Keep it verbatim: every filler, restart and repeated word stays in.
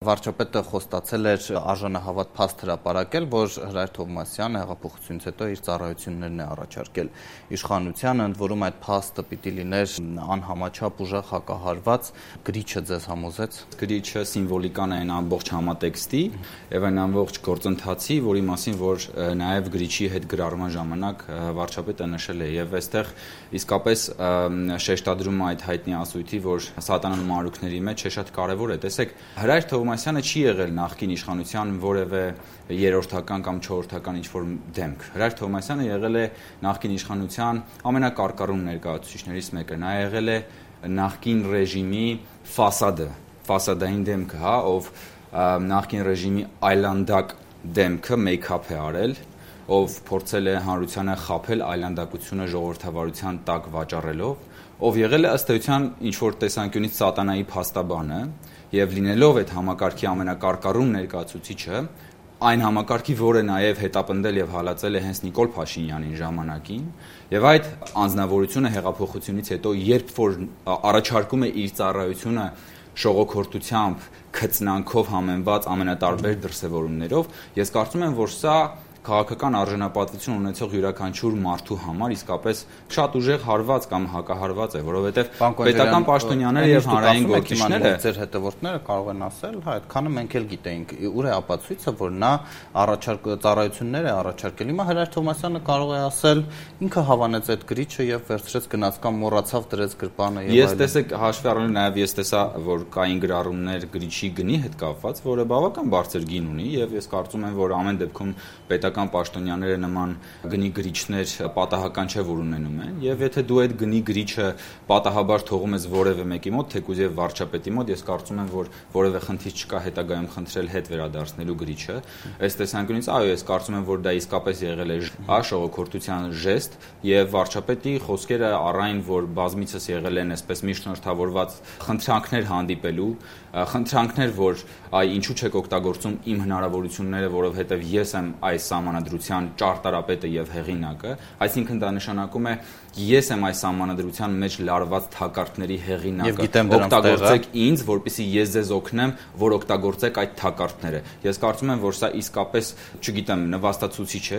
Վարչապետը խոստացել էր արժանահավատ փաստ հրապարակել, որ Հրայր Թովմասյանը հեղափոխությունից հետո իր ծառայություններն է առաջարկել իշխանությանը, ընդ որում այդ փաստը պիտի լիներ անհամաչափ ուժեղ հակահարված, գրիչը ձեզ համոզեց։ Գրիչը սիմվոլիկան է այն ամբողջ համատեքստի եւ այն ամբողջ գործընթացի, որի մասին որ նաեւ գրիչի հետ գրառման ժամանակ վարչապետը նշել է եւ այստեղ իսկապես շեշտադրում է այդ հայտնի ասույթի, որ սատանան մանրուքների մեջ է շատ կարեւոր է։ Տեսեք, Հրայր Թովմասյանը չի եղել նախկին իշխանության որևէ երրորդական կամ չորրորդական ինչ-որ դեմք։ Հրայր Թովմասյանը եղել է նախկին իշխանության ամենակարկառուն ներկայացուցիչներից մեկը։ Նա եղել է նախկին ռեժիմի ֆասադը, ֆասադային դեմքը, հա, ով նախկին ռեժիմի այլանդակ դեմքը մեյքափ է արել, ով փորձել է հանրությանը խաբել այլանդակությունը ժողովրդավարության տակ վաճառելով, ով եղել է ըստ էության ինչ-որ տեսանկյունից սատանայի փաստաբանը եւ լինելով այդ համակարգի ամենակարկառուն ներկայացուցիչը, այն համակարգի, որը նաեւ հետապնդել եւ հալածել է հենց Նիկոլ Փաշինյանին ժամանակին, եւ այդ անձնավորությունը հեղափոխությունից հետո, երբ որ առաջարկում է իր ծառայությունը շողոքորթությամբ, քծնանքով համեմված ամենատարբեր դրսևորումներով, ես կարծում եմ, որ սա քաղաքական արժանապատվություն ունեցող յուրաքանչյուր մարդու համար իսկապես շատ ուժեղ հարված կամ հակահարված է, որովհետև պետական պաշտոնյաները եւ հանրային գործիչները ձեր հետևորդները կարող են ասել, հա, այդքանը մենք էլ գիտեինք, ուր է ապացույցը, որ նա առաջարկ ծառայություններ է առաջարկել։ Հիմա Հրայր Թովմասյանը կարող է ասել, ինքը հավանեց այդ գրիչը եւ վերցրեց գնաց կամ մոռացավ դրեց գրպանը եւ այլն։ Ես տեսեք հաշվի առնելով նաեւ ես տեսա, որ կային գրառումներ գրիչի գնի հետ կապված, որը բավական բարձր գին ունի եւ ես կարծում եմ, որ ամեն դեպքում պետական պաշտոնյաները նման գնի գրիչներ պատահական չէ, որ ունենում են, եւ եթե դու այդ գնի գրիչը պատահաբար թողում ես որևէ մեկի մոտ, թեկուզ եւ վարչապետի մոտ, ես կարծում եմ, որ որևէ խնդիր չկա հետագայում խնդրել հետ վերադարձնելու գրիչը։ Այս տեսանկյունից այո, ես կարծում եմ, որ դա իսկապես եղել է հա շողոքորթության ժեստ եւ վարչապետի խոսքերը առայն, որ բազմիցս եղել են այսպես միջնորդավորված խնդրանքներ հանդիպելու, խնդրանքներ, որ այ ինչու չեք օգտագործում իմ հնարավորությունները, որովհետեւ ես եմ այս սահմանադրության ճարտարապետը եւ հեղինակը, այսինքն դա նշանակում է ես եմ այս սահմանադրության մեջ լարված թակարդների հեղինակը, օգտագործեք ինձ, որպեսզի ես ձեզ օգնեմ, որ օգտագործեք այդ թակարդները։ Ես կարծում եմ, որ սա իսկապես, չգիտեմ, նվաստացուցիչ է